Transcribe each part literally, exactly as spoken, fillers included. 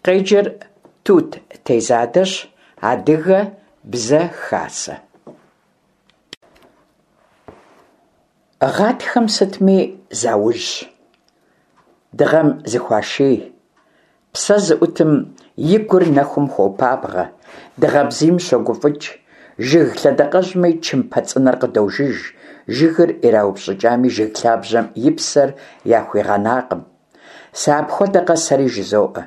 Къеджэр Тут Тезадэщ, Адыгэ Бзэ Хасэ. Гъатхэм сытми заужь, дыгъэм зыхуаший, псэ зыӀутым и гур нэхум хуопабгъэ, дыгъэ бзийм щогуфӀыкӀ, жыг лъэдакъэжьми чымпэ цӀынэр къыдожыж, жыгыр ираупщӀыкӀами, жыг лъабжьэм и псэр яхуигъэнакъым. Сыапхуэдэкъэ сэри жызоӀэ.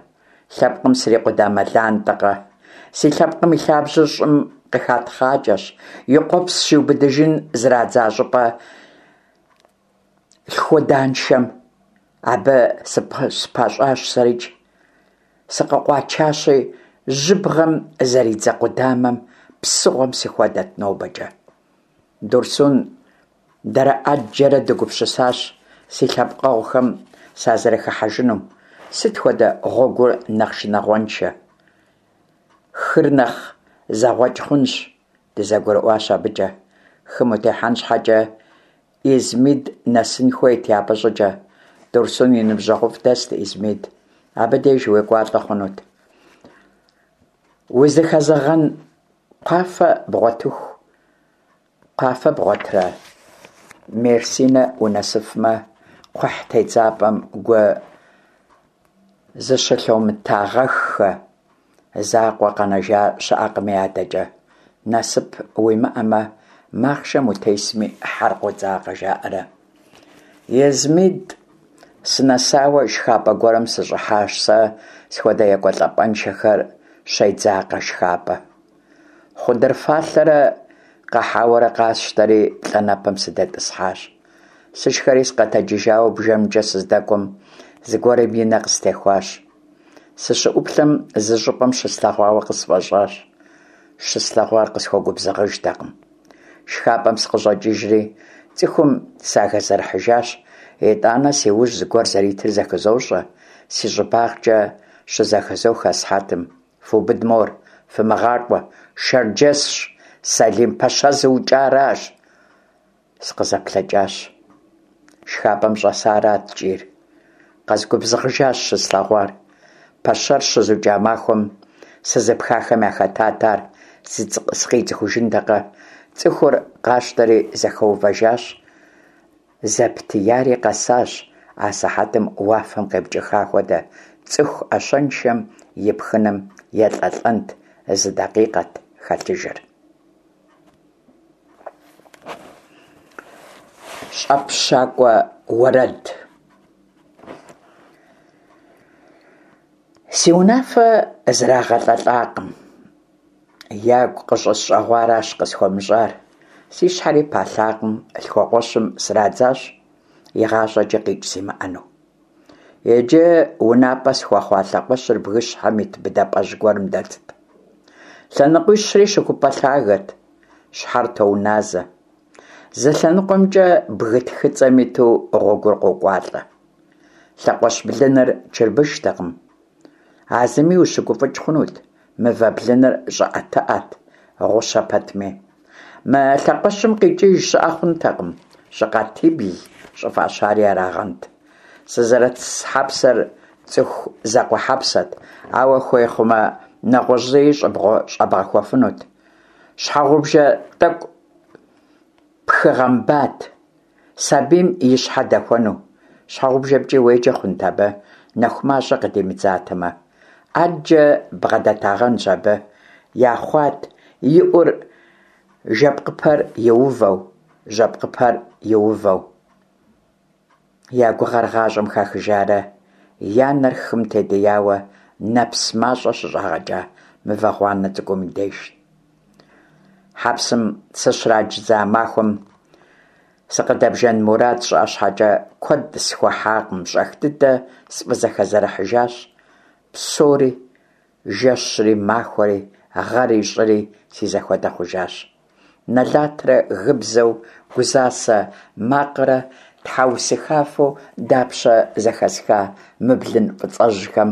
Лъэпкъым срикъудамэ лантӀэкъэ? Си лъэпкъым и лъабжьэр щӀым къыхатхъакӀэщ, и къуэпс щиубыдыжын зрадза щӀыпӀэ лъхуэданшэм. Абы сыпэщӀащ сэрикӀ. Сыкъыкъуачащи, жьыбгъэм зэридзэ къудамэ псыгъуэм сыхуэдэт нобэкӀэ. Дурсун дэрэ Ӏэджэрэ дегупсысащ си лъэпкъэгъухэм сазэрыхыхьэжынум. Сыт хуэдэ гъуэгур нэхъ шынагъуэншэ? Хыр нэхъ зэгъуэкӀ хъунщ, дызэгурыӀуащ абыкӀэ. Хым утехьэн щхьэкӀэ Измид нэсын хуейт япэщӀыкӀэ. Дурсун и ныбжьэгъуфӀ дэст Измид. Абы деж уекӀуалӀэ хъунут. Узыхэзэгъэн кхъуафэ бгъуэтыху, кхъуафэ бгъуэтрэ Мерсинэ унэсыфмэ, кхъухь тедзапӀэм гу зыщылъумытагъэххэ закъуэ къэнэжа щыӀэкъыми адэкӀэ. Насып уимыӀэмэ, махъшэм утесми хьэр къодзакъэ, жаӀэрэ. Измид сынэсауэ шхапӀэ гуэрым сыщӀыхьащ, сэ схуэдэ екӀуэлӀапӀэншэхэр щедзакъэ шхапӀэ. Хъудыр фалъэрэ къэхьэуэрэ къасщтэри плӀанэпэм сыдэтӀысхьащ. Сышхэри сыкъэтэджыжауэ бжэмкӀэ сыздэкӀуэм, зыгуэрым и нэ къыстехуащ. СыщыӀуплъэм, зы щӀыпӀэм щыслъэгъуауэ къысфӀэщӀащ. Щыслъэгъуар къысхуэгубзыгъыжтэкъым. ШхапӀэм сыкъыщӀэкӀыжри, цӀыхум сахэзэрыхьыжащ. ИтӀанэ си ужь зыгуэр зэритыр зэхызощӀэ, си щӀыбагъкӀэ щызэхызох асыхьэтым: «Фубыд мор, фымыгъакӀуэ, шэрджэсщ, Сэлим-пэщэ зыукӀаращ!» СыкъызэплъэкӀащ. ШхапӀэм щӀэсарат кӀийр. Къэзгубзыгъыжащ щыслъэгъуар. Пэщэр щызукӀа махуэм сызыпхахэм яхэтат ар, сыкъицӀыхужынтэкъэ? ЦӀыхур къащтэри зэхэувэжащ. Зэптияри къэсащ, асыхьэтым уафэм къепкӀыха хуэдэ, цӀыху Ӏэщэншэм и пхыным елӀэлӀэнт, зы дакъикъэт хэлъыжыр. ЩӀэпщакӀуэ уэрэд. Си унафэ зрагъэлӀэлӀакъым. Ягу къыщӀысщӀэгъуаращ къысхуэмыщӀар. Си щхьэри палъакъым, лъхукъуэщым срадзащ, игъащӀэкӀи къикӀ зимыӀэну. Иджы унапӀэ схуэхъуа лъэхъуэщыр бгыщхьэм ит быдапӀэжь гуэрым дэтт. Лъэныкъуищри щыхупӀэ лъагэт, щхьэр тоуназэ. Зы лъэныкъуэмкӀэ бгы тхыцӀэм иту гъуэгур къокӀуалӀэ. Лъэхъуэщ блыныр чырбыштэкъым. А зыми ущыгуфӀыкӀ хъунут, мывэ блыныр щӀыӀэтыӀэт, гъущэ пэтми. Мы лъэхъуэщым къикӀыж щыӀэ хъунтэкъым, щӀыкъатибл щӀыфӀащари арагъэнт. Сызэрыс хьэпсэр цӀыху закъуэ хьэпсэт, ауэ хуей хъумэ, нэгъуэщӀ зыи щӀэбгъэхуэфынут. Щхьэгъубжэ тӀэкӀу пхыгъэмбат, сабийм и щхьэ дэхуэну. ЩхьэгъубжэмкӀи уеджэ хъунт абы, нэху мащӀэ къыдимыдзатэмэ. Ӏэджэ бгъэдэтагъэнщ абы, яхъуат и Ӏур жэпкъыпэр иувэу, жьэпкъыпэр иувэу. Я гугъэр гъащӀэм хахыжарэ я нэр хым тедияуэ нэпс мащӀэ щыщӀагъэкӀа мывэ гъуанэ цӀыкӀум и деж. Хьэпсым сыщрадза махуэм сыкъыдэбжэн мурад сщӀа щхьэкӀэ, куэд схуэхьакъым, щӀэх дыдэ сфӀызэхэзэрыхьыжащ. Псори, жэщри махуэри, гъэри щӀыри си зэхуэдэ хъужащ. Нэлатрэ гыбзэу, гузасэ макърэ тхьэусыхафэу дапщэ зэхэсха мы блын фӀыцӀэжьхэм?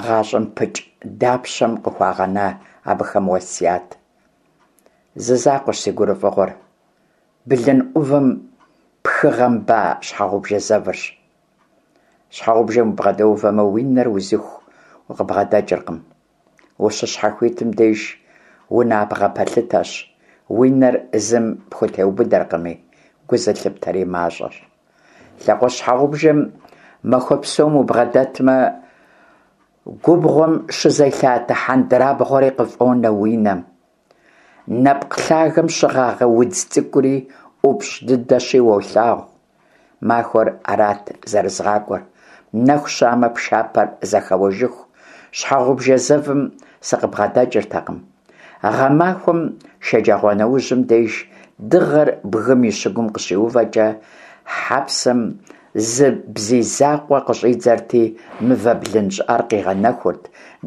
ГъащӀэм пыкӀ дапщэм къыхуагъэна абыхэм уэсят? Зы закъуэщ си гурыфӀыгъуэр – блын Ӏувым пхыгъэмба щхьэгъубжэ зэвырщ. Щхьэгъубжэм убгъэдэувэмэ, уи нэр узыху укъыбгъэдэкӏыркъым. Ущыщхьэхуитым деж унабгъэ пэлъытэщ, уи нэр зым пхутеубыдэркъыми, гу зылъыптэри мащӏэщ. Лъэхъуэщ щхьэгъубжэм махуэ псом убгъэдэтмэ, губгъуэм щызелъатэ хьэндырабгъуэри къыфӏонэ уи нэм. Нэпкъ лъагэм щыгъагъэ удз цӏыкӏури ӏупщӏ дыдэщи уолъагъу. Махуэр арат зэрызгъакӏуэр, нэху щамэ, пшапэр зэхэуэжыху, щхьэгъубжэ зэвым сыкъыбгъэдэкӏыртэкъым. Гъэмахуэм шэджагъуэнэужьым деж дыгъэр бгым и щыгум къыщиувэкӏэ, хьэпсэм зы бзий закъуэ къыщӏидзэрти, мывэ блын щӏыӏэр къигъэнэхурт,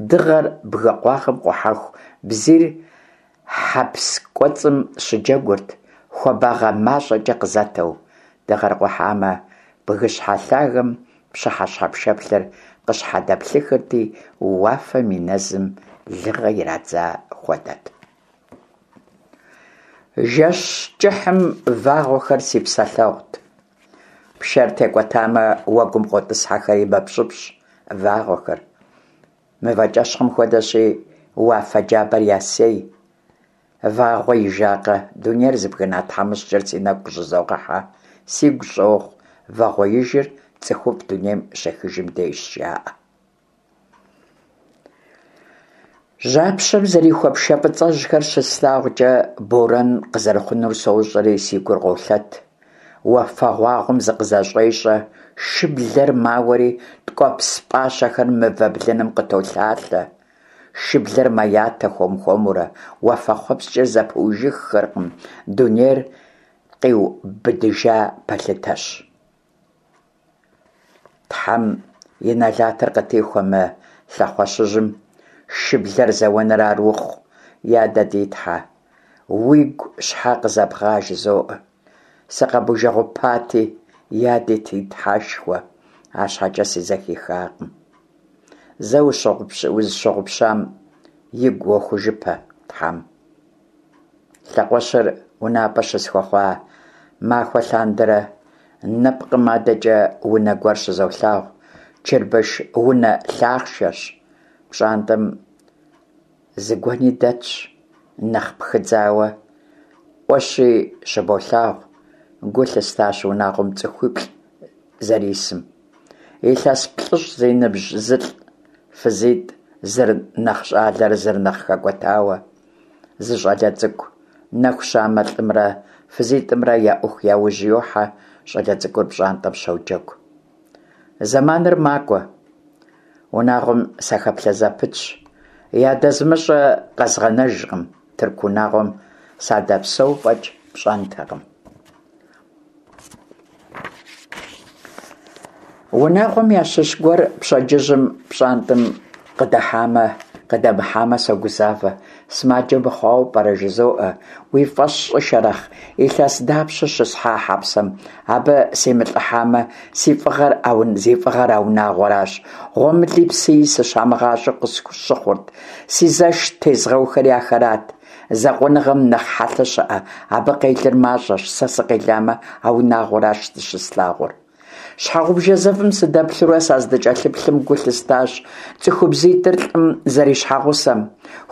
дыгъэр бгы къуагъым къухьэху бзийр хьэпс кӏуэцӏым щыджэгурт, хуабагъэ мащӏэкӏэ къызэтэу. Дыгъэр къухьамэ, бгыщхьэ лъагэм пщыхьэщхьэ пшэплъыр къыщхьэдэплъыхырти, уафэм и нэзым лыгъэ ирадза хуэдэт. Жэщ кӏыхьым вагъуэхэр си псэлъэгъут. Пшэр текӏуэтамэ, уэгум къотӏысхьэхэри мэпщӏыпщӏ вагъуэхэр. Мывэкӏэщхъым хуэдэщи, уафэ джабэр ясей. Вагъуэ ижакъэ, дунейр зыбгына тхьэмыщкӏэр си нэгу къыщӏызогъэхьэ, сигу щӏогъу, вагъуэижыр цӏыхуфӏ дунейм щехыжым дежщ, жаӏэ. Жьапщэм зэрихуэ пшэ фӏыцӏэжьхэр щыслъагъукӏэ, борэн къызэрыхъунур сощӏэри, си гур къолъэт. Уафэгъуагъуэм зыкъызэщӏещӏэ, шыблэр мауэри, ткӏуэпс пӏащэхэр мывэ блыным къытолъалъэ. Шыблэр мэятэ хуэм-хуэмурэ, уафэхъуэпскӏыр зэпыужыххэркъым, дунейр къиубыдыжа пэлъытэщ. Тхьэм и нэлатыр къытихуэ мы лъэхъуэщыжьым, шыблэр зэуэныр ар ухъу, я дэ ди Тхьэ, уигу щхьэ къызэбгъа, жызоӏэ. Сыкъэбужэгъупати, я ди Тхьэшхуэ, арщхьэкӏэ сызэхихакъым. Зэ узыщыгъупщам игу уохужыпэ Тхьэм. Лъэхъуэщыр унапӏэ щысхуэхъуа махуэ лъандэрэ нэпкъым адэкӏэ унэ гуэр щызолъагъу, чырбыш унэ лъахъшэщ. Пщӏантӏэм зы гуэни дэтщ, нэхъ пхыдзауэ, ӏуэщи щыболъагъу. Гу лъыстащ унагъуэм цӏыхуиплӏ зэрисым. Илъэс плӏыщӏ зи ныбжь зылӏ, фызитӏ, зыр нэхъ щӏалэрэ зыр нэхъ хэкӏуэтауэ, зы щӏалэ цӏыкӏу. Нэху щамэ, лӏымрэ фызитӏымрэ я ӏуэху яужь йохьэ, щӏалэ цӏыкӏур пщӏантӏэм щоджэгу. Зэманыр макӏуэ. Унагъуэм сахэплъэ зэпытщ. Ядэзмыщӏэ къэзгъэнэжкъым, тырку унагъуэм садэпсэу фӏэкӏ пщӏэнтэкъым. Унагъуэм ящыщ гуэр пщэдджыжьым пщӏантӏэм къыдыхьамэ, къыдэмыхьамэ согузавэ, сымаджэ мыхъуауэ пӏэрэ, жызоӏэ. Уи фӏэщ щӏы, Шэрэхъ, илъэс дапщэ щысхьа хьэпсэм, абы симылӏыхьамэ, си фӏыгъэр зи фӏыгъэр а унагъуэращ. Гъуэмыли псыи сыщамыгъащӏэу къысщыхъурт, си зэш тезгъэухэри ахэрат. Закъуэныгъэм нэхъ хьэлъэ щыӏэ, абы къелыр мащӏэщ, сэ сыкъеламэ, а унагъуэращ зыщыслъагъур. Щхьэгъубжэ зэвым сыдэплъурэ саздыкӏэлъыплъым гу лъыстащ цӏыхубзитӏыр лӏым зэрищхьэгъусэм.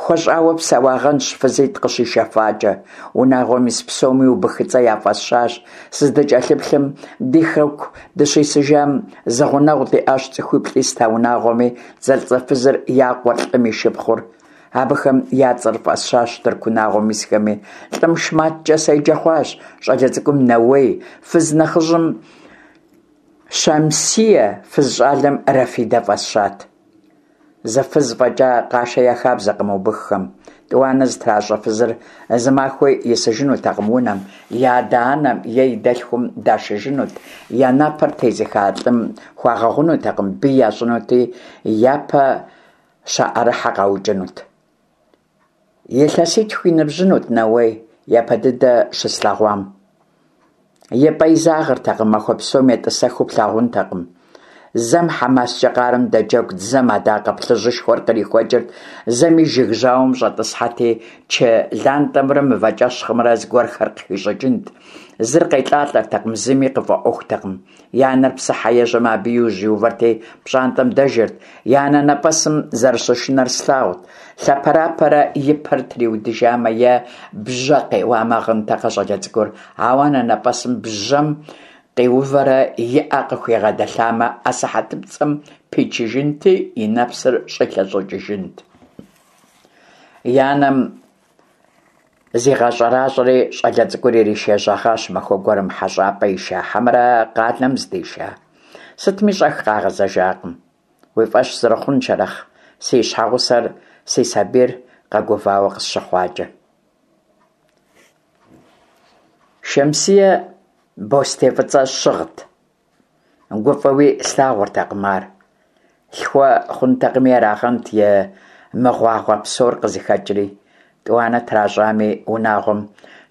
Хуэщӏауэ псэуагъэнщ фызитӏ къыщишэфакӏэ. Унагъуэм ис псоми убыхыцӏэ яфӏэсщащ. Сыздыкӏэлъыплъым, ди хэку дыщисыжам зы гъунэгъу диӏащ цӏыхуиплӏ ист а унагъуэми, зэлӏзэфызыр, я къуэр, лӏым и шыпхъур. Абыхэм я цӏэр фӏэсщащ тырку унагъуэм исхэми. Лӏым Шматкӏэ седжэ хъуащ, щӏалэ цӏыкӏум Нэуей, фыз нэхъыжьым Щамсие, фыз щӏалэм Рафидэ фӏэсщат. Зы фыз фӏэкӏа къашэ я хабзэкъым убыххэм. Тӏуанэ зытращӏэ фызыр зы махуи исыжынутэкъым унэм, и адэ-анэм е и дэлъхум дашыжынут, я напэр тезыха лӏым хуагъэгъунутэкъым, бий ящӏынути, япэ щаӏэрыхьэ къаукӏынут. Илъэситху и ныбжьынут Нэуей япэ дыдэ щыслъэгъуам. И пӏэ изагъэртэкъым, махуэ псом етӏысэхыу плъагъунтэкъым. Зэм хьэмаскӏэ къарэм дэджэгут, зэм адакъэ плъыжьышхуэр кърихуэкӏырт, зэми жыг жьауэм щӏэтӏысхьэти, чы лантӏэмрэ мывэкӏэщхъымрэ зыгуэрхэр къыхищӏыкӏынт. Зыр къелӀалӀэртэкъым, зыми къыфӀэӀуэхутэкъым. И анэр псыхьэ ежьэмэ, абы и ужь иувэрти пщӀантӀэм дэжырт. И анэнэпӀэсым зэрыщышынэр слъагъурт. Лъэпэрапэрэ и пэр триудыжамэ е бжьэ къеуамэ гъынтэкъэ щӀалэ цӀыкӀур, ауэ анэнэпӀэсым бжьэм къиувэрэ и Ӏэ къыхуигъэдэлъамэ, асыхьэтыпцӀэм пичыжынти, и нэпсыр щӀилъэщӀыкӀыжынт. И анэм зигъэщӀэращӀэри щӀалэ цӀыкӀур иришэжьэгъащ махуэ гуэрым, хьэщӀапӀэ иша, хьэмэрэ къалэм здиша? Сытми, щӀэх къагъэзэжакъым. Уи фӀэщ зэрыхъун, Шэрэхъ, си щхьэгъусэр, си сабийр къэгувауэ къысщыхъуакӀэ. Шэмсие бостей фӀыцӀэ щыгът, гуфӀэуи слъагъуртэкъым ар. Лъхуэ хъунтэкъыми арагъэнт и мыгъуагъэ псор къызыхэкӀри. ТӀуанэ тращӀами, унагъуэм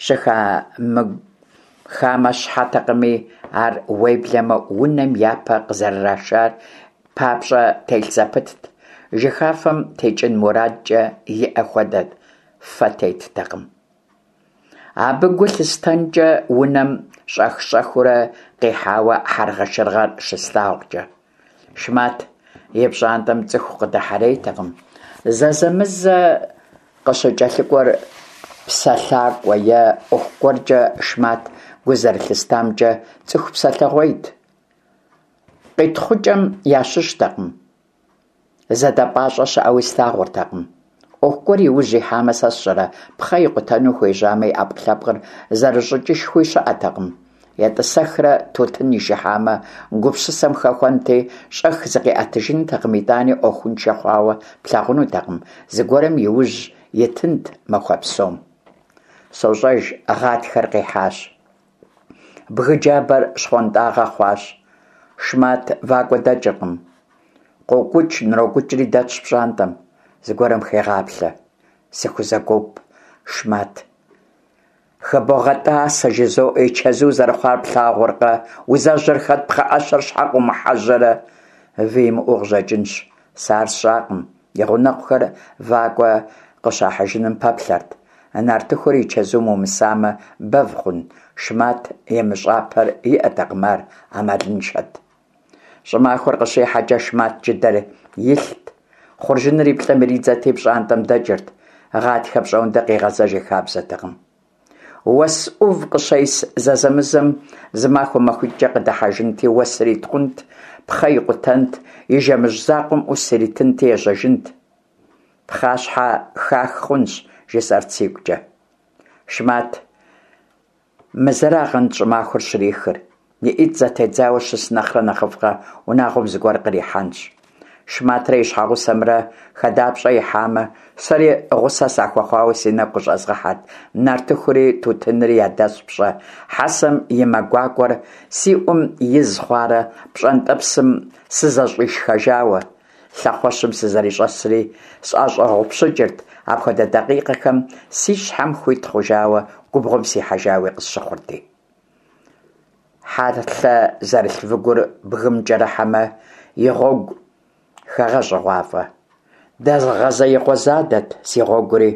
щыхамэщхьэтэкъыми, ар, уеблэмэ унэм япэ къызэрырашар папщӀэ телъ зэпытт, жыхафэм текӀын мурадкӀэ иӀэ хуэдэ фэ теттэкъым. Абы гу лъыстэнкӀэ унэм щӀэх-щӀэхыурэ къихьауэ хьэргъэшыргъэр щыслъагъукӀэ. Шмат и пщӀантӀэм цӀыху къыдыхьэрейтэкъым. Зэзэмызэ къыщыкӀэлъыкӀуэр псэлъакӀуэ е Ӏуэху гуэркӀэ. Шмат, гу зэрылъыстамкӀэ, цӀыху псэлъэгъуейт. КъитхъукӀэм ящыщтэкъым. ЗэдэпӀащӀэ щыӀэуи слъагъуртэкъым. Ӏуэху гуэр и ужь ихьамэ, сэ сщӀэрэ, пхъэ икъутэну хуежьамэ, и Ӏэпкълъэпкъыр зэрыщӀыкӀышхуи щыӀэтэкъым. ЕтӀысэхрэ тутын ишыхьамэ, гупсысэм хэхуэнти, щӀэх зыкъиӀэтыжынтэкъым, итӀани Ӏуэхуншэ хъуауэ плъагъунутэкъым, зыгуэрым и ужь итынт махуэ псом. СощӀэж, гъатхэр къихьащ. Бгы джабэр щхъуантӀагъэ хъуащ. Шмат вакӀуэ дэкӀыркъым. КъокӀукӀ-нрокӀукӀри дэтщ пщӀантӀэм, зыгуэрым хегъаплъэ. Сыхузэгуоп Шмат. «ХыбогъэтӀасэ, – жызоӀэ, – и чэзу зэрыхъуар плъагъуркъэ? Узэжьэр хэт, пхъэӀэщэр щхьэ къыумыхьэжьэрэ?» Вы имыӀэу къыщӀэкӀынщ. Сэ ар сщӀакъым. И гъунэгъухэр вакӀуэ къыщахьыжыным пэплъэрт. Нартыхур и чэзум умысамэ, бэв хъун, Шмат имыщӀапэр иӀэтэкъым, ар Ӏэмалыншэт. ЩӀымахуэр къыщихьэкӀэ, Шмат джыдэр илът, хъуржыныр и плӀэм иридзэрти пщӀантӀэм дэкӀырт. Гъатхэ пщӀондэ къигъэзэж и хабзэтэкъым. Уэс Ӏув къыщес зэзэмызэм зы махуэ-махуитӀкӀэ къыдыхьэжынти, уэсыр итхъунт, пхъэ икъутэнт, и жэмыжь закъуэм Ӏус иритынти ежьэжынт. Пхъащхьэ хах хъунщ, жысӀэрт сигукӀэ. Шмат мы зэрагъэнт щӀымахуэр щрихыр. И ӀитӀ зэтедзауэ щыс нэхърэ нэхъыфӀкъэ, унагъуэм зыгуэр кърихьэнщ. Шматрэ и щхьэгъусэмрэ хадапщӀэ ихьамэ, сэри гъусэ сахуэхъуауэ си нэгу къыщӀэзгъэхьэрт, нартыхури тутынри ядэспщӀэ хьэсэм и мэ гуакӀуэр си Ӏум из хъуарэ пщӀэнтӀэпсым сызэщӀишхэжауэ. Лъэхъуэщым сызэрыщӀэсри сӀэщӀэгъупщыкӀырт, апхуэдэ дакъикъэхэм си щхьэм хуит хъужауэ губгъуэм сихьэжауи къысщыхъурти. Хьэлъэ зэрылъ выгур бгым кӀэрыхьэмэ, и гъуэгу хэгъэщӀыгъуафӀэ. Дэгъэзеигъуэ задэт си гъуэгури.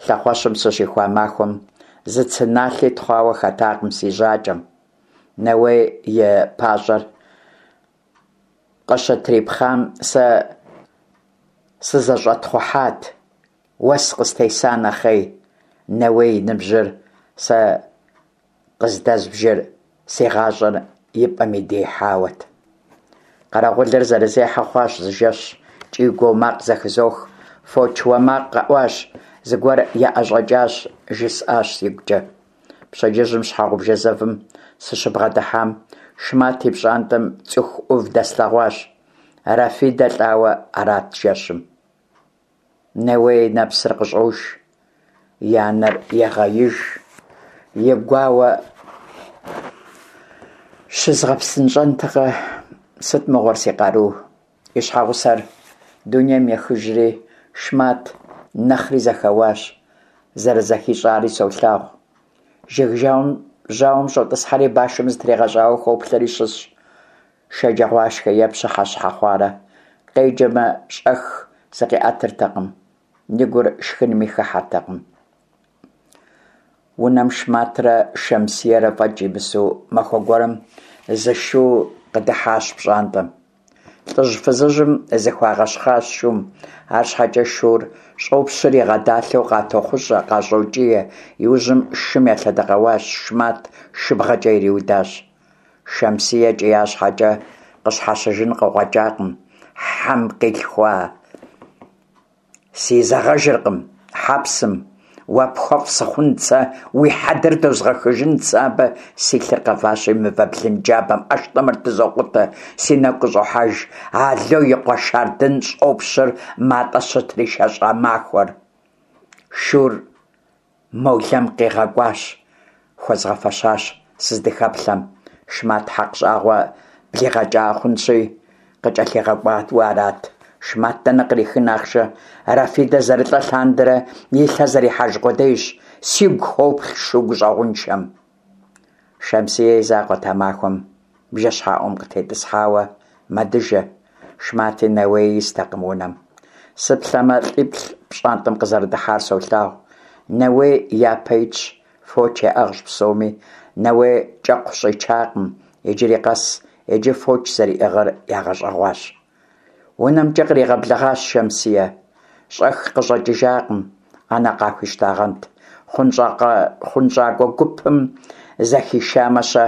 Лъэхъуэщым сыщихуа махуэм зы цы налъи тхъуауэ хэтакъым си жьакӀэм. Нэуей и пащӀэр къыщытрипхъам сэ сызэщӀэтхъухьат, уэс къыстеса нэхъей. Нэуей и ныбжьыр сэ къыздэзбжыр си гъащӀэр и пӀэм идиихьауэт. Къэрэгъулыр зэрызехьэ хъуащ зы жэщ. КӀий-гуо макъ зэхызох. Фоч уэ макъ къэӀуащ, зыгуэр яӀэщӀэкӀащ, жысӀащ сигукӀэ. Пщэдджыжьым щхьэгъубжэ зэвым сыщыбгъэдыхьам, Шмат и пщӀантӀэм цӀыху Ӏув дэслъэгъуащ. Рафидэ лӀауэ арат жэщым. Нэуей и нэпсыр къыщӀож, и анэр егъеиж, и гуауэ щызгъэпсынщӀэнтэкъэ, сыт мыгъуэр си къару. И щхьэгъусэр дунейм ехыжри, Шмат нэхъри зэхэуащ, зэрызэхищӀари солъагъу. Жыг жьауэм щӀотӀысхьэри, башым зытригъэщӀауэ хоплъэри щысщ. Шэджагъуашхэ е пщыхьэщхьэ хъуарэ къеджэмэ, щӀэх зыкъиӀэтыртэкъым, и гур шхынми хыхьэртэкъым. Унэм Шматрэ Шэмсиерэ фӀэкӀ имысу махуэ гуэрым зы шу къыдыхьащ пщӀантӀэм. ЛӀыжь-фызыжьым зыхуагъэщхъащ шум, арщхьэкӀэ шур щӀопщыр игъэдалъэу къатохъущӀэ, къащӀокӀие. Иужьым шым елъэдэкъэуащ, Шмат шыбгъэкӀэ ириудащ. Шэмсие кӀия щхьэкӀэ, къыщхьэщыжын къыкъуэкӀакъым. Хьэм къилъхуа! Сизэгъэжыркъым хьэпсым! Уэ пхуэфӀ сыхъунт сэ, уи хьэдэр дозгъэхыжынт сэ абы! Си лъыр къэващи, мывэ блын джабэм ӀэштӀымыр тызокъутэ, си нэгу къыщӀохьэж Ало и къуэ Шардын щӀопщыр МатӀэ щытришэщӀа махуэр. Шур молэм къигъэкӀуащ, хуэзгъэфэщащ сыздыхэплъэм. Шмат хьэкъ щӀагъуэ блигъэкӀа хъунщи, къыкӀэлъигъэкӀуауэ арат. Шмат дэнэ кърихын ахъшэ? Рафидэ зэрылӀэ лъандэрэ и лъэ зэрихьэж къудейщ. Сигу хоплъ шу гущӀэгъуншэм. Шэмсие и закъуэт а махуэм бжэщхьэӀум къытетӀысхьауэ мэдыжэ. Шмати Нэуеи истэкъым унэм. Сыплъэмэ, лӀиплӀ пщӀантӀэм къызэрыдыхьар солъагъу. Нэуей япэ итщ, фоч яӀыгъщ псоми. Нэуей кӀэкхъу щӀичакъым иджыри къэс, иджы фоч зэриӀыгъыр ягъэщӀэгъуащ. УнэмкӀэ къригъэблэгъащ Шэмсие. ЩӀэх къыщӀэкӀыжакъым, Ӏэнэ къахуищтагъэнт. ХъунщӀакӀуэ гупым зэхишамэ-щэ?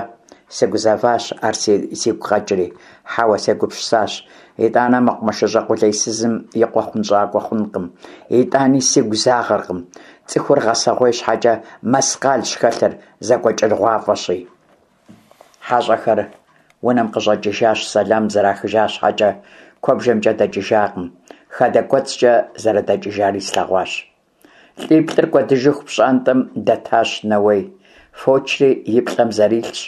Сыгузэващ, ар сигу къэкӀри. Хьэуэ, сегупсысащ. ИтӀанэ мэкъумэшыщӀэ къулейсызым и къуэ хъунщӀакӀуэ хъункъым. ИтӀани сигу загъэркъым. ЦӀыхур гъэсэгъуей щхьэкӀэ мэскъалщ хэлъыр, зэкӀуэкӀыгъуафӀэщи. ХьэщӀэхэр унэм къыщӀэкӀыжащ, сэлам зэрахыжа щхьэкӀэ, куэбжэмкӀэ дэкӀыжакъым, хадэ кӀуэцӀкӀэ зэрыдэкӀыжари слъэгъуащ. ЛӀиплӀыр кӀуэдыжыху пщӀантӀэм дэтащ Нэуей. Фочри и плӀэм зэрилъщ.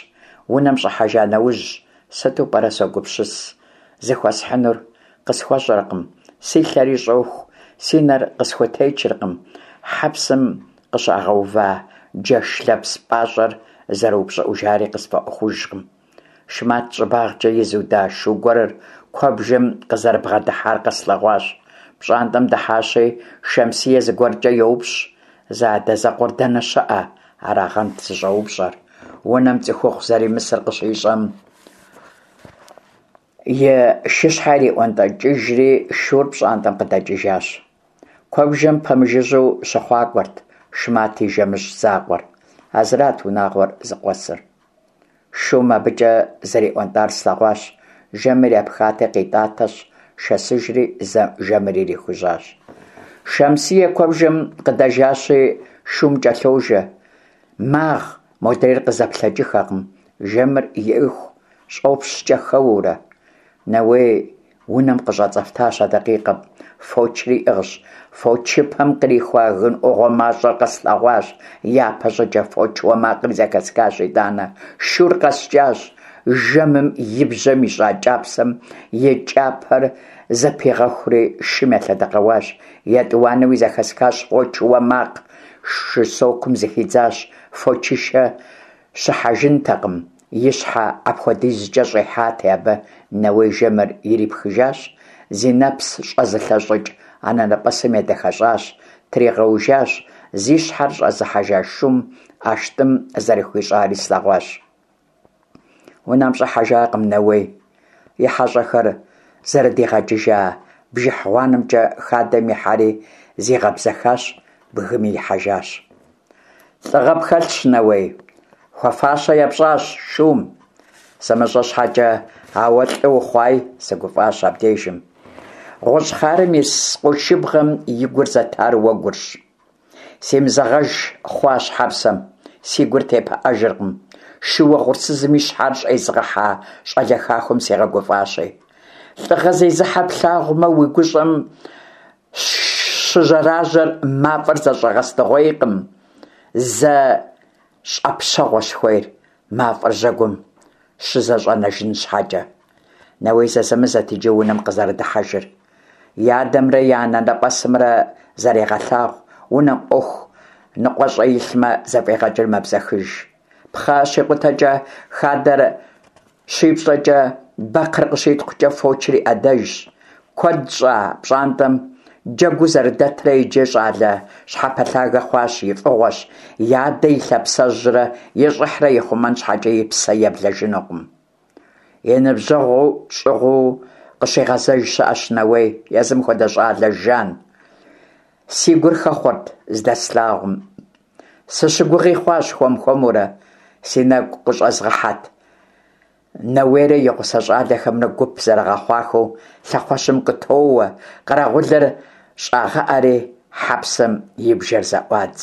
Унэм щӀыхьэжа нэужь, сыту пӀэрэ, согупсыс, зыхуэсхьынур? КъысхуэщӀэркъым, си лъэри щӀоху, си нэр къысхутечыркъым, хьэпсым къыщагъэува джэш лэпс пӀащӀэр зэрыупщӀыӀужари къысфӀэӀуэхужкъым. Шмат щӀыбагъкӀэ изуда шу гуэрыр куэбжэм къызэрыбгъэдыхьар къэслъэгъуащ. ПщӀантӀэм дыхьащи, Шэмсие зыгуэркӀэ йоупщӀ. Зэадэзэкъуэр дэнэ щыӀэ? Арагъэнт зыщӀэупщӀэр. Унэм цӀыхухъу зэримысыр къыщищӀэм, и шыщхьэр иӀуэнтӀэкӀыжри, шур пщӀантӀэм къыдэкӀыжащ. Куэбжэм пэмыжыжьэу щыхъуакӀуэрт Шмат и жэмыжь закъуэр. А зырат унагъуэр зыкъуэсыр. Шум абыкӀэ зэриӀуэнтӀар слъэгъуащ. Жэмыр епхати, къитӀатэщ, шэсыжри жэмыр ирихужьащ. Шэмсие куэбжэм къыдэжащи, шум кӀэлъожэ. Магъ, модрейр къызэплъэкӀыххэкъым, жэмыр иӀыху щӀопщкӀэ хэуэурэ. Нэуей унэм къыщӀэцӀэфтащ а дакъикъэм. Фочри иӀыгъщ. Фочыпэм кърихуа гын Ӏугъуэ мащӀэр къэслъэгъуащ япэ щӀыкӀэ, фоч уэ макъри зэхэсхащ итӀанэ. Шур къэскӀащ. Жэмым и бжьэм ищӀа кӀапсэм и кӀапэр зэпигъэхури шым елъэдэкъэуащ. ЕтӀуанэуи зэхэсхащ фоч уэ макъ. Шы сокум зыхидзащ, фочышэ щыхьэжынтэкъым, и щхьэ апхуэдизкӀэ щӀихьати абы. Нэуей жэмыр ирипхыжащ, зи нэпс щӀэзылъэщӀыкӀ анэнэпӀэсым едэхэщӀащ, тригъэужащ, зи щхьэр щӀэзыхьэжа шум ӀэштӀым зэрыхуищӀари слъэгъуащ. Унэм щӀыхьэжакъым Нэуей. И хьэщӀэхэр зэрыдигъэкӀыжа бжыхь гъуанэмкӀэ хадэм ихьэри зигъэбзэхащ, бгыми ихьэжащ. ЛӀыгъэ пхэлъщ, Нэуей, хуэфащэ епщӀащ шум. СымыщӀэ щхьэкӀэ, ауэ лӀы ухъуай, сыгуфӀащ абдежым. ГъущӀ хъарым ис къуршыбгъэм и гур зэтар уэгурщ. Симызэгъэж хъуащ хьэпсэм, си гур тепыӀэжыркъым. Шу угъурсызым и щхьэр щӀезыгъэхьа щӀалэ хахуэм сигъэгуфӀащи. ЛӀыгъэ зезыхьэ плъагъумэ, уи гущӀэм щыжьэражьэр мафӀэр зэщӀэгъэстыгъуейкъым, зэ щӀэпщэгъуэщ хуейр, мафӀэр жьэгум щызэщӀэнэжын щхьэкӀэ. Нэуей зэзэмызэт иджы унэм къызэрыдыхьэжыр. И адэмрэ и анэнэпӀэсымрэ зарегъэлъагъу, унэм Ӏуэху ныкъуэщӀэ илъмэ, зэфӀегъэкӀыр мэбзэхыж. Пхъэ щикъутэкӀэ, хадэр щипщӀэкӀэ, бэкхъыр къыщитхъукӀэ фочыр и Ӏэдэжщ. Куэд щӀа пщӀантӀэм Джэгуу зэрыдэтрэ иджы щӀалэ щхьэпэлъагэ хъуащ, и фӀыгъуэщ, и адэ и лъапсэжьрэ и щӀыхьрэ ихъумэн щхьэкӀэ и псэ еблэжынукъым. И ныбжьэгъу щӀыгъуу къыщигъэзэж щыӀэщ Нэуей, езым хуэдэ щӀалэ жан. Си гур хэхъуэрт здэслъагъум. Сыщыгугъи хъуащ хуэм-хуэмурэ. Си нэгу къыщӀэзгъэхьэт Нэуейрэ и гъусэ щӀалэхэмрэ гуп зэрыгъэхъуахэу лъэхъуэщым къытоуэ, къэрэгъулыр щӀагъэӀэри хьэпсэм и бжэр зэӀуадз.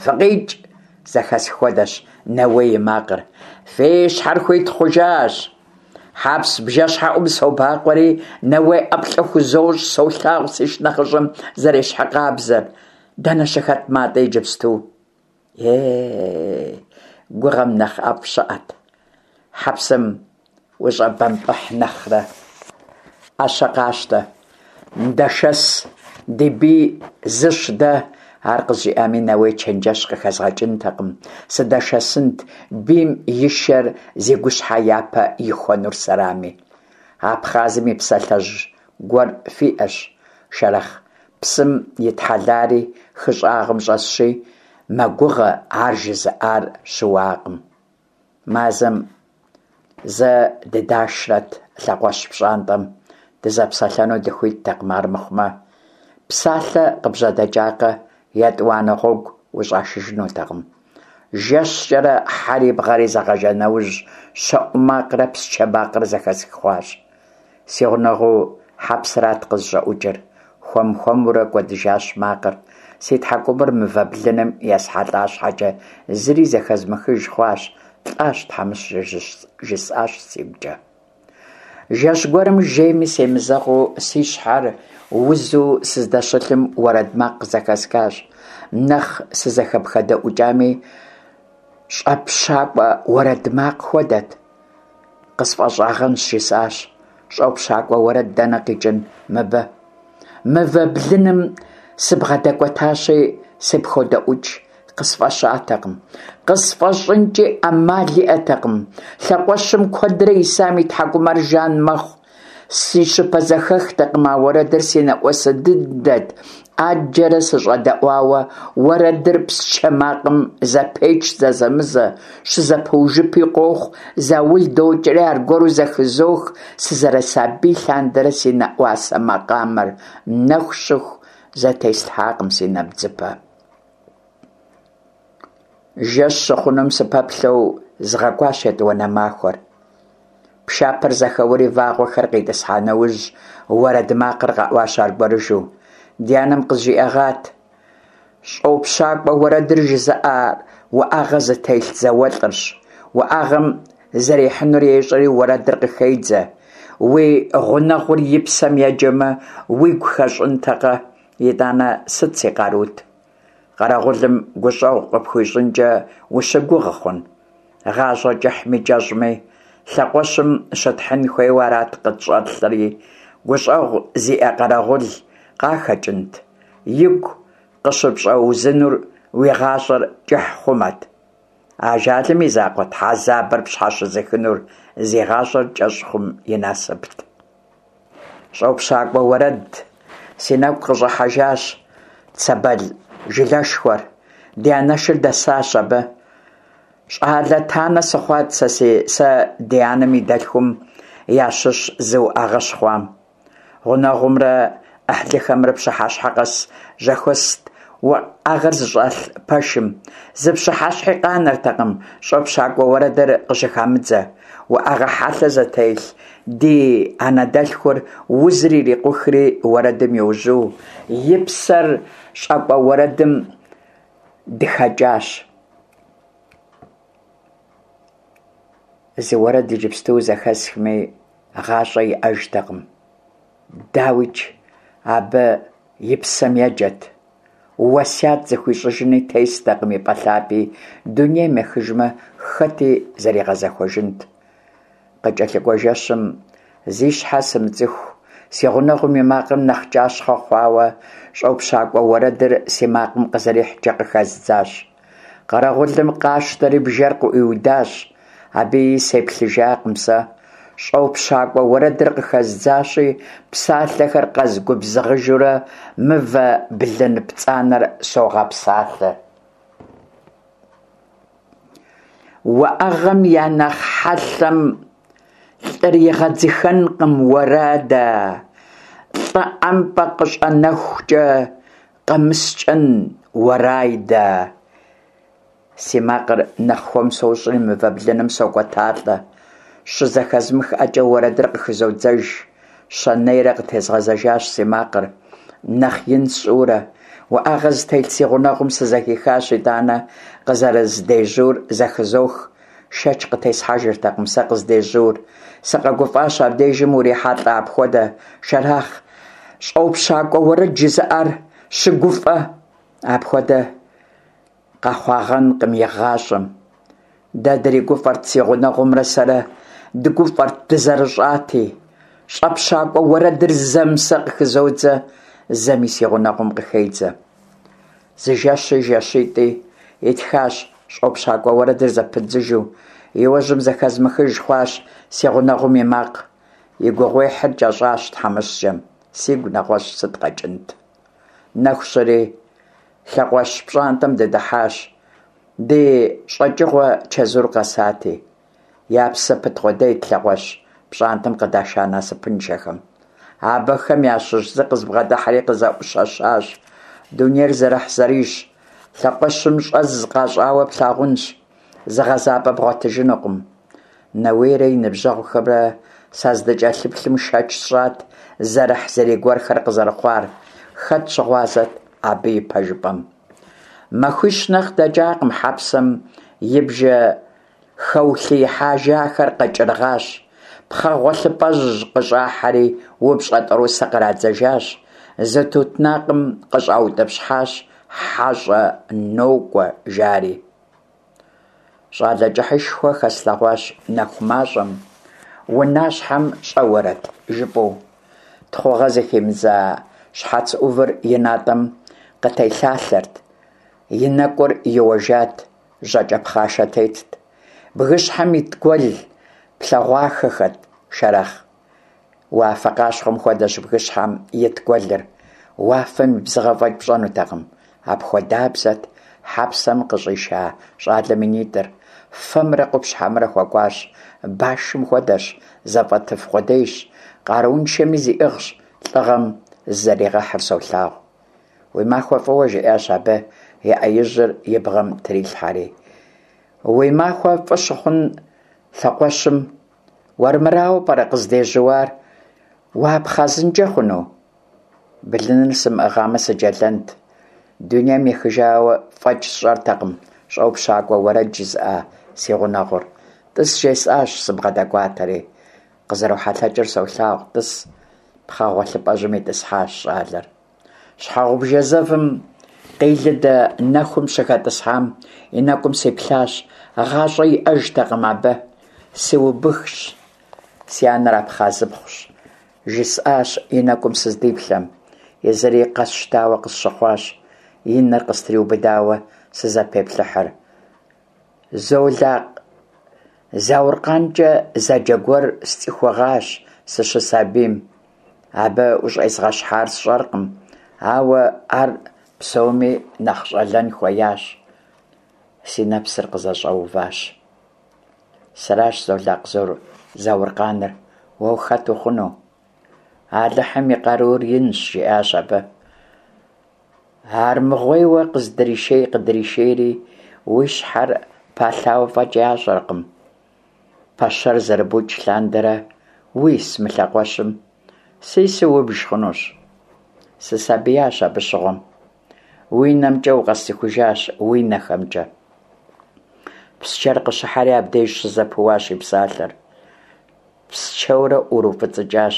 «ФыкъикӀ!» – зэхэсх хуэдэщ Нэуей и макъыр. «Фи щхьэр хуит хъужащ!» Хьэпс бжэщхьэӀум собакъуэри, Нэуей ӀэплӀэ хузощӀ, солъагъу си шынэхъыщӀэм зэрещхьыркъабзэр. Дэнэ щыхэт МатӀи иджыпсту? Е гугъэм нэхъ ӀэфӀ щыӀэт, хьэпсэм ущӀэбэмпӀыхь нэхърэ. Ӏэщэ къащтэ, дэшэс, ди бий зыщ дэ! Ар къызжиӀами, Нэуей чэнджэщ къыхэзгъэкӀынтэкъым, сыдэшэсынт, бийм и шэр зи гущхьэ япэ ихуэнур сэрами. Абхъазым и псалъэжь гуэр фиӀэщ, Шэрэхъ псым итхьэлари хы щӀагъым щӀэсщи, мэгугъэ, ар жызыӀар щыуакъым. Мазэм зэ дыдашрэт лъэхъуэщ пщӀантӀэм, дызэпсэлъэну дыхуиттэкъым армыхъумэ. Псалъэ къыбжьэдэкӀакъэ, етӀуанэ гъуэгу ущӀашыжынутэкъым. ЖэщкӀэрэ хьэри бгъэри зэгъэжа нэужь, щэӀу макърэ псчэ макърэ зэхэсх хъуащ. Си гъунэгъу хьэпсырат къызыщӀэӀукӀыр. Хуэм-хуэмурэ кӀуэдыжащ макъыр. Си тхьэкӀумэр мывэ блыным есхьэлӀа щхьэкӀэ, зыри зэхэзмыхыж хъуащ. ЛӀащ тхьэмыщкӀэр, жысӀащ сигукӀэ. Жэщ гуэрым жейми семызэгъыу, си щхьэр узу сыздэщылъым уэрэд макъ къызэхэсхащ. Нэхъ сызэхэпхэдэӀукӀами, щӀэпщакӀуэ уэрэд макъ хуэдэт. КъысфӀэщӀагъэнщ, жысӀащ. ЩӀэпщакӀуэ уэрэд дэнэ къикӀын мыбы? Мывэ блыным сыбгъэдэкӀуэтащи, сыпходэӀукӀ. КъысфӀэщӀатэкъым. КъысфӀэщӀынкӀи Ӏэмал иӀэтэкъым. Лъэхъуэщым куэдрэ исам и тхьэкӀумэр жан мэхъу. Си щыпэзэхэхтэкъым а уэрэдыр, си нэӀуасэ дыдэт. Ӏэджэрэ сыщӀэдэӀуауэ, уэрэдыр псчэ макъым зэпеч зэзэмызэ, щызэпыужыпи къохъу, заул докӀри аргуэру зэхызох сызэрысабий лъандэрэ си нэӀуасэ макъамэр. Нэху щыху зэтеслъхьакъым си нэбдзыпэ. Жэщ щыхъунум сыпэплъэу згъэкӀуащ етӀуанэ махуэр. Пшапэр зэхэуэри вагъуэхэр къитӀысхьа нэужь, уэрэд макъыр къэӀуащ аргуэрыжу. Ди анэм къызжиӀэгъат: ЩӀопщакӀуэ уэрэдыр жызыӀэр уӀэгъэ зытелъ зауэлӀырщ. УӀэгъэм зэрихьынур ещӀэри, уэрэдыр къыхедзэ. Уи гъунэгъур и псэм еджэмэ, уигу хэщӀынтэкъэ? ИтӀанэ сыт си къарут? Къэрэгъулым гущӀэгъу къыпхуищӀынкӀэ ущыгугъ хъун? ГъащӀэр кӀыхьми кӀэщӀми, лъэхъуэщым щытхьын хуейуэ арат къытщӀэлъри, гущӀэгъу зиӀэ къэрэгъул къахэкӀынт? Игу къыщыпщӀэузынур уи гъащӀэр кӀыхь хъумэт. Ажалым и закъуэт хьэзабыр пщхьэщызыхынур, зи гъащӀэр кӀэщӀ хъум и насыпт. ЩӀопщакӀуэ уэрэд. Си нэгу къыщӀыхьэжащ Цэбэл жылэшхуэр. Ди анэшыр дэсащ абы. ЩӀалэ танэ сыхъуат сэ сэ ди анэм и дэлъхум ящыщ зы уӀэгъэ щыхъуам. Гъунэгъумрэ Ӏыхьлыхэмрэ пщыхьэщхьэ къэс зэхуэст уӏэгъэр зыщӀэлъ пэшым. Зы пщыхьэщхьи къанэртэкъым щӀопщакӀуэ уэрэдыр къыщыхамыдзэ. УӀэгъэ хьэлъэ зытелъ ди анэдэлъхур узыр ирикъухри уэрэдым йожьу, и псэр щӀэкӀуэ уэрэдым дыхэкӀащ. Зы уэрэд иджыпсту зэхэсхми, гъащӀэ иӀэжтэкъым. ДауикӀ, абы и псэм еджэт. Уэсят зыхуищӀыжыни тестэкъым и пӀэ лъапи, дунейм ехыжмэ, хэти зэригъэзэхуэжынт. КъыкӀэлъыкӀуэ жэщым зи щхьэ сымыцӀыху си гъунэгъум и макъыр нэхъ кӀащхъэ хъуауэ щӀопщакӀуэ уэрэдыр си макъым къызэрихькӀэ къыхэздзащ. Къэрэгъулым къащтэри бжэр къыӀуиудащ. Абыи сеплъыжакъым сэ. ЩӀопщакӀуэ уэрэдыр къыхэздзащи, псалъэхэр къэзгубзыгъыжурэ мывэ блын пцӀанэр согъэпсалъэ. УӀэгъэм я нэхъ хьэлъэм лӀыр игъэдзыхэнкъым, уэрэдэ, лӀы ӀэмпӀэ къыщӀэнэхукӀэ къэмыскӀэн, уэрайдэ. Си макъыр нэхъ хуэм сощӀри мывэ блыным сокӀуэталӀэ. ЩызэхэзмыхыӀэкӀэ уэрэдыр къыхызодзэж. Щэнейрэ къытезгъэзэжащ си макъыр, нэхъ ин сщӀыурэ. УӀэгъэ зытелъ си гъунэгъум сызэхихащ, итӀанэ къызэрыздежьур зэхызох. Шэч къытесхьэжыртэкъым сэ къыздежьур. СыкъэгуфӀащ абдежым урихьэлӀэ апхуэдэ, Шэрахъ щӀопщакӀуэ уэрэд жызыӀэр щыгуфӀэ апхуэдэ къэхъуагъэнкъым игъащӀэм. Дэ дригуфӀэрт си гъунэгъумрэ сэрэ, дыгуфӀэрт дызэрыщӀати. ЩӀэпщакӀуэ уэрэдыр зэм сэ къыхызодзэ, зэми си гъунэгъум къыхедзэ. Зы жэщи жэщитӀи итхащ щӀопщакӀуэ уэрэдыр зэпыддзыжу. Иужьым зэхэзмыхыж хъуащ си гъунэгъум и макъ. И гугъуехьыр кӀэщӀащ тхьэмыщкӀэм. Сигу нэгъуэщӀ сыт къэкӀынт? Нэху щыри лъэкъуэщ пщӀантӀэм дыдыхьащ. Ди щӀэкӀыгъуэ чэзур къэсати. Я псэ пыт къудейт лъэкъуэщ пщӀантӀэм къыдаша насыпыншэхэм. Абыхэм ящыщ зы къызбгъэдыхьэри къызэӀущэщащ. Дунейр зэрыхьзэрийщ, лъэкъуэщым щӀэз къащӀауэ плъагъунщ, зыгъэзапӀэ бгъуэтыжынукъым. Нэуейрэ и ныбжьэгъухэмрэ саздыкӀэлъыплъым шэч сщӀат зэрыхьзэрий гуэрхэр къызэрыхъуар. Хэт щыгъуазэт абы и пэжыпӀэм? Махуищ нэхъ дэкӀакъым, хьэпсэм и бжэ хэулъиихьэжахэр къэкӀыргъащ. Пхъэ гъуэлъыпӀэжь къыщӀахьэри упщӀэ тӀорысэ кърадзэжащ. Зы тутнакъым къыщӀаутӀыпщхьащ, хьэщӀэ нокӀуэ, жари. ЩӀалэ кӀыхьышхуэ хэслъэгъуащ нэху мащӀэм, унащхьэм щӀэуэрэт жыпӀэу. Тхъугъэ зыхимыдза щхьэц Ӏувыр и натӀэм къытелъалъэрт, и нэкӀур иуэжат, жьакӀэ пхъашэ тетт. Бгыщхьэм ит гуэл плъэгъуахэхэт, Шэрэхъ. Уафэ къащхъуэм хуэдэщ бгыщхьэм ит гуэлыр. Уафэм и бзыгъэ фӀэкӀ пщӀэнутэкъым. Апхуэдабзэт хьэпсэм къыщӀиша щӀалэм и нитӀыр. Фэмрэ къупщхьэмрэ хуэкӀуащ, башым хуэдэщ, зэфӀэтыф къудейщ, къарууншэми зиӀыгъщ, лӀыгъэм зызэригъэхьыр солъагъу. Уи махуэ фӀыуэ, жиӀащ абы, и Ӏэ ижьыр и бгъэм трилъхьэри. Уи махуэ фӀы щыхъун лъэкъуэщым, уэрмырауэ пӀэрэ къыздежьуар, уапхъэзынкӀэ хъуну? Блыныр сымыӀыгъамэ сыджэлэнт. Дунейм ехыжауэ фӀэкӀ сщӀэртэкъым щӀопщакӀуэ уэрэд жызыӀа си гъунэгъур. ТӀыс жесӀащ, сыбгъэдэкӀуатэри. КъызэрохьэлъэкӀыр солъагъу, тӀыс. Пхъэ гъуэлъыпӀэжьым итӀысхьащ щӀалэр. Щхьэгъубжэ зэвым къилыдэ нэхум щыхэтӀысхьам и нэкӀум сиплъащ. ГъащӀэ иӀэжтэкъым абы. Сыубыхщ, си анэр абхъазыпхъущ, жысӀащ и нэкӀум сыздиплъэм. Езыри къэсщтауэ къысщыхъуащ, и нэр къыстриубыдауэ сызэпеплъыхьыр. Золакъ ЗауркъанкӀэ зэджэ гуэр сцӀыхугъащ сыщысабийм. Абы ущӀезгъэщхьар сщӀэркъым, ауэ ар псоми нэхъ щӀалэн хуеящ. Си нэпсыр къызэщӀэуващ. Сэращ Золакъ Зауркъаныр, уэ ухэт ухъуну? Алыхьым и къарур инщ, жиӀащ абы. Армыгъуейуэ къыздришей-къыдришейри, уи щхьэр палъауэ фӀэкӀ ящӀэркъым. Пэщэр зэрыбукӀ лъандэрэ уис мы лъэкъуэщым, сису убж хъунущ. Сысабиящ абы щыгъуэм. Уи нэмкӀэ укъэсцӀыхужащ, уи нэхэмкӀэ. Псчэр къыщыхьэри абдеж щызэпыуащ и псалъэр. Псчэурэ ӀурыуфӀыцӀыкӀащ.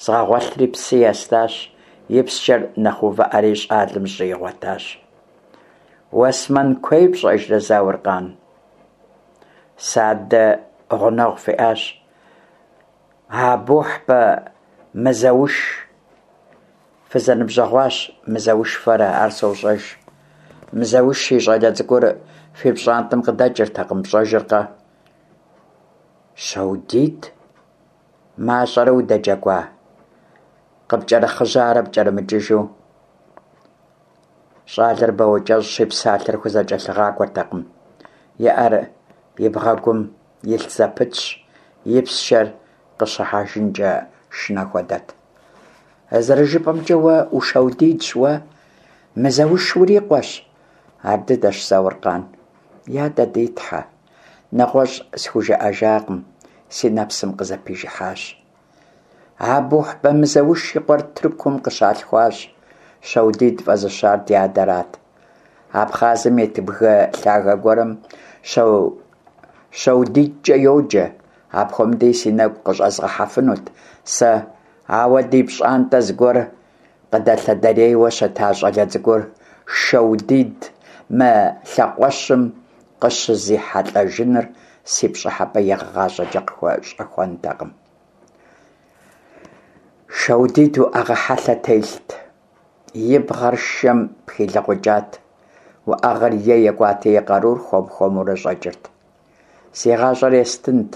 Згъэгъуэлъри псы естащ, и псчэр нэхъ увыӀэри щӀалэм жьы игъуэтащ. Уэсмэн куей пщӀэжрэ, Зауркъан? Сэ адэ гъунэгъу фиӀащ. Абухьбэ Мызэуш. Фызэныбжьэгъуащ Мызэуш фэрэ, ар сощӀэж. Мызэуш и щӀалэ цӀыкӀур фи пщӀантӀэм къыдэкӀыртэкъым, пщӀэжыркъэ? Щэудит? Мащӏэрэ удэджэгуа, къыпкӏэрыхъыжьарэ пкӏэрымыкӏыжу? Щӏалэр бауэкӏэщӏщи, псалъэр хузэкӏэлъыгъакӏуэртэкъым, и ӏэр и бгъэгум илъ зэпытщ, и псчэр къыщыхьэжынкӏэ шынэ хуэдэт. Зэрыжыпӏэмкӏэ, уэ у-Шэудидщ, уэ Мызэуш урикъуэщ? Ар дыдэщ, Зауркъан. Я дэ ди тхьэ! Нэгъуэщӏ схужыӏэжакъым, си нэпсым къызэпижыхьащ. Абухьбэ Мызэуш и къуэр Тыркум къыщалъхуащ. Шэудид фӏэзыщар ди адэрат. Абхъазым ит бгы лъагэ гуэрым Шэудидкӏэ йоджэ. Апхуэмыдэуи си нэгу къыщӏэзгъэхьэфынут сэ, ауэ ди пщӏантӏэ зэгуэр къыдэлъэдэрейуэ щыта щӏалэ цӏыкӏур Шэудид мы лъэхъуэщым къыщызихьэлӏэжыныр си пщӏыхьэпӏэ игъащӏэкӏэ къыхуэщӏэхуэнтэкъым. Шэудид уӏэгъэ хьэлъэ телът, и бгъэр шэм пхилыгъукӏат. Уӏэгъэр е екӏуати, и къарур хуэм-хуэмурэ щӏэкӏырт. Си гъащӏэр естынт,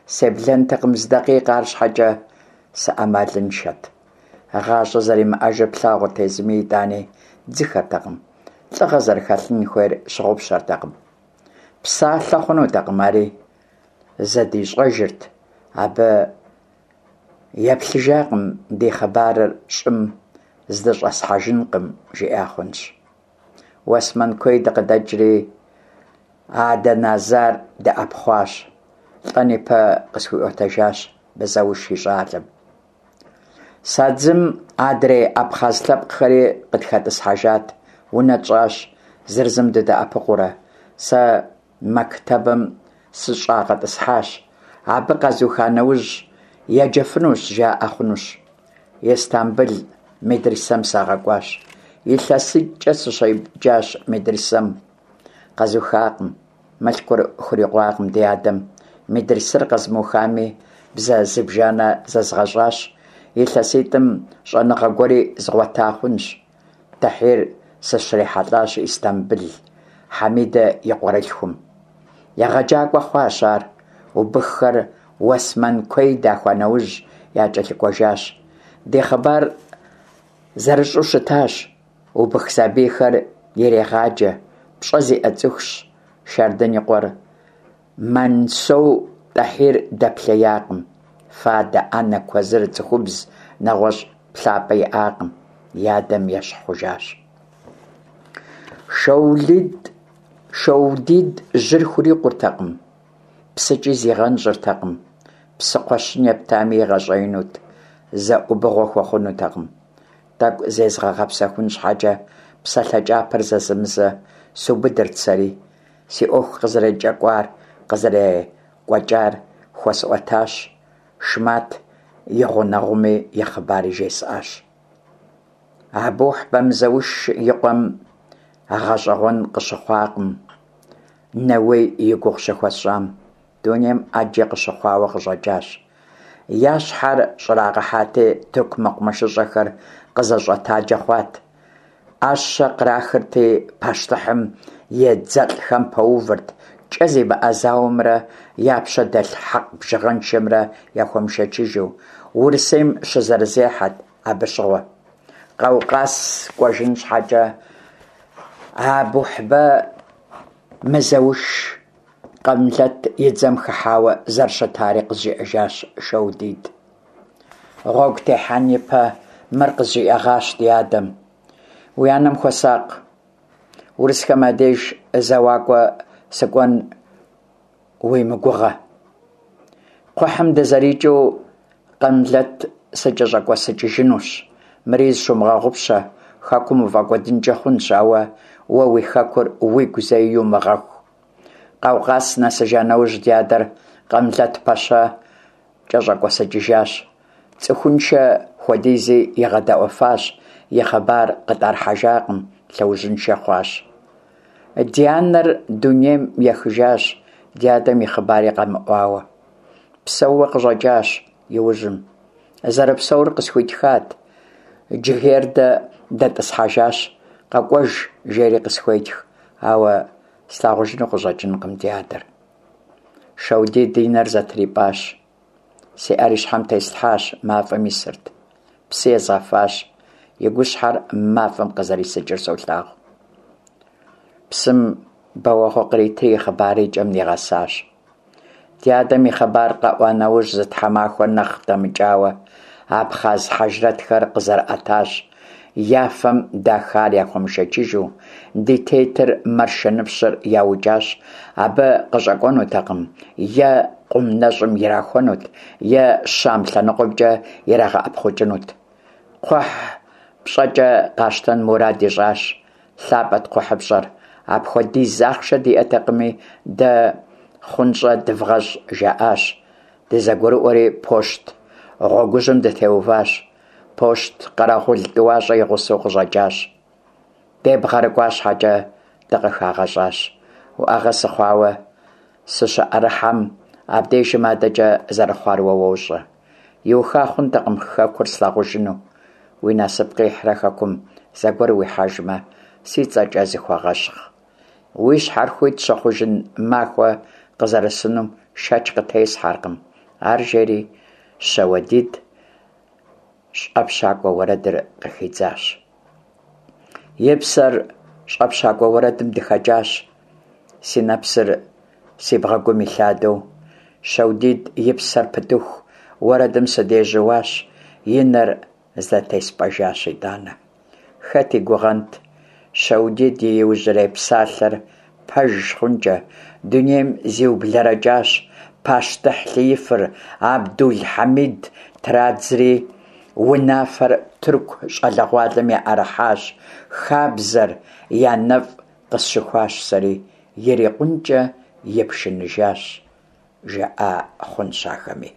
себлэнтэкъым зы дакъикъэ, арщхьэкӏэ сыӏэмалыншэт. ГъащӀэ зэримыӀэжыр плъагъурт езыми, итӀани дзыхэртэкъым, лӀыгъэ зэрыхэлъын хуейр щыгъупщэртэкъым. Псалъэ хъунутэкъым, ари зыдищӀэжырт. Абы еплъыжакъым, ди хъыбарыр щӀым здыщӀэсхьэжынкъым, жиӀа хъунщ. Уэсмэн куей дыкъыдэкӀри, Адэназар дыӀэпхъуащ. ЛӀэн ипэ къысхуиӀуэтэжащ Мызэуш и щӀалэм. Садзым адрей абхъаз лъэпкъхэри къытхэтӀысхьэжат, унэ тщӀащ, зыр зым дыдэӀэпыкъуурэ. Сэ мэктэбым сыщӀагъэтӀысхьащ. Абы къэзуха нэужь, еджэфынущ, жаӀэ хъунущ. Истамбыл медрысэм сагъэкӀуащ. ИлъэситӀкӀэ сыщеджащ медрысэм. Къэзухакъым. Мылъкур хурикъуакъым ди адэм. Медрысэр къэзмыухами, бзэ зыбжанэ зэзгъэщӀащ. ИлъэситӀым щӀэныгъэ гуэри згъуэта хъунщ. Тэхьир сыщрихьэлӀащ Истамбыл, Хьэмидэ и къуэрылъхум. ЕгъэджакӀуэ хъуащ ар. Убыххэр Уэсмэн куей дахуа нэужь якӀэлъыкӀуэжащ. Ди хъыбар зэрыщӀэу щытащ. Убых сабийхэр ирегъаджэ, пщӀэ зиӀэ цӀыхущ Шардын и къуэр. Мансоу ТӀэхьир дэплъеякъым. Фадэ, Ӏэнэ, куэзыр, цӀыхубз, нэгъуэщӀ плъапӀэ иӀакъым. И адэм ещхь хъужащ. Шэудид жьыр хурикъуртэкъым, псыкӀи зигъэнщӀыртэкъым. Псы кхъуэщын ептами игъэщӀеинут, зэ Ӏубыгъуэ хуэхъунутэкъым. ТӀэкӀу зезгъэгъэпсэхун щхьэкӀэ псалъэ кӀапэр зэзэмызэ субыдырт сэри. Си Ӏуэху къызэрекӀэкӀуар, къызэрекӀуэкӀар хуэсӀуэтащ, Шмат и гъунэгъуми и хъыбари жесӀащ. Абухьбэ Мызэуш и къуэм гъэщӀэгъуэн къыщыхъуакъым Нэуей и гугъу щыхуэсщӀам. Дунейм Ӏэджи къыщыхъуауэ къыщӀэкӀащ. Я щхьэр щӀрагъэхьати, тырку мэкъумэшыщӀэхэр къызэщӀэтаджэ хъуат. Ӏэщэ кърахырти, пащтыхьым и дзэлӀхэм пэувырт, кӀэ зимыӀэ зауэмрэ я пщэ дэлъ хьэкъ бжыгъэншэмрэ яхуэмышэчыжу. Урысейм щызэрызехьэт абы щыгъуэ. Къаукъаз кӀуэжын щхьэкӀэ Абухьбэ Мызэуш Къамлэт и дзэм хыхьауэ зэрыщытари къызжиӀэжащ Шэудид. Гъуэгу техьэн ипэ мыр къызжиӀэгъащ ди адэм: «Уи анэм хуэсакъ, урысхэм я деж зэуакӀуэ сыкӀуэн уи мыгугъэ. Кхъухьым дызэрикӀыу Къамлэт сыкӀэщӀэкӀуэсыкӀыжынущ. Мыри зыщумыгъэгъупщэ, хэкум уфӀэкӀуэдынкӀэ хъунщ, ауэ уэ уи хэкур уигу зэи йумыгъэху». Къаукъаз нэсыжа нэужь, ди адэр Къамлэт пэщэ кӀэщӀэкӀуэсыкӀыжащ. ЦӀыхуншэ хуэдизи игъэдэӀуэфащ, и хъыбар къытӀэрыхьэжакъым, лъэужьыншэ хъуащ. Ди анэр дунейм ехыжащ, ди адэм и хъыбари къэмыӀуауэ. Псэууэ къыщӀэкӀащ иужьым. Зэрыпсэур къысхуитхат. Джыгердэ дэтӀысхьэжащ, къэкӀуэж, жери къысхуетх, ауэ слъагъужыну къыщӀэкӀынкъым ди адэр. Шэудид и нэр зэтрипӀащ. Си Ӏэр и щхьэм теслъхьащ, мафӀэм исырт. Псы езгъэфащ, и гущхьэр мафӀэм къызэрисыкӀыр солъагъу. Псым бэуэгъуэ къритри и хъыбарыр и кӀэм нигъэсащ. Ди адэм и хъыбар къэӀуа нэужь, зы тхьэмахуэ нэхъ дэмыкӀауэ, абхъаз хьэжрэтхэр къызэрыӀэтащ, я фэм дахар яхуэмышэчыжу. Ди тетыр Мэршэныпщыр яукӀащ, абы къыщӀэкӀуэнутэкъым, е къум нэщӀым ирахуэнут, е Щам лъэныкъуэмкӀэ ирагъэӀэпхъукӀынут. Кхъухь пщӀэкӀэ къащтэн мурад ищӀащ. ЛъапӀэт кхъухьыпщӀэр, апхуэдиз ахъшэ диӀэтэкъыми, дэ хъунщӀэ дывгъэщӀ жаӀащ. ДызэгурыӀуэри, пощт гъуэгужьым дытеуващ. Пощт къэрэгъул тӀуащӀэ и гъусэу къыщӀэкӀащ. ДебгъэрыкӀуа щхьэкӀэ, дыкъыхагъэщӀащ. УӀэгъэ сыхъуауэ сыщыӀэрыхьэм, абдежым адэкӀэ зэрыхъуар уэ уощӀэ. Иуха хъунтэкъым хэкур слъагъужыну. Уи насып къихьрэ хэкум зэгуэр уихьэжмэ, си цӀэкӀэ зыхуэгъэщхъ. Уи щхьэр хуит щыхъужын махуэ къызэрысынум шэч къытесхьэркъым. Ар жери Щэуэдит щӀэпщакӀуэ уэрэдыр къыхидзащ. И псэр щӀэпщакӀуэ уэрэдым дыхэкӀащ. Си нэпсыр си бгъэгум илъадэу, Щэудит и псэр пытыху уэрэдым сыдежьууащ, и нэр зэтеспӀэжащ итӀанэ. Хэт и гугъэнт Щэудит и иужьрей псалъэр пэж хъункӀэ, дунейм зиублэрэкӀащ, пащтыхь лъыифыр Абдул-Хьэмид традзри, унафэр тырку щӀалэгъуалэм яӀэрыхьащ, хабзэр я нэфӀ къысщыхуащ сэри, ирикъункӀэ ипшыныжащ, жаӀа хъунщ ахэми.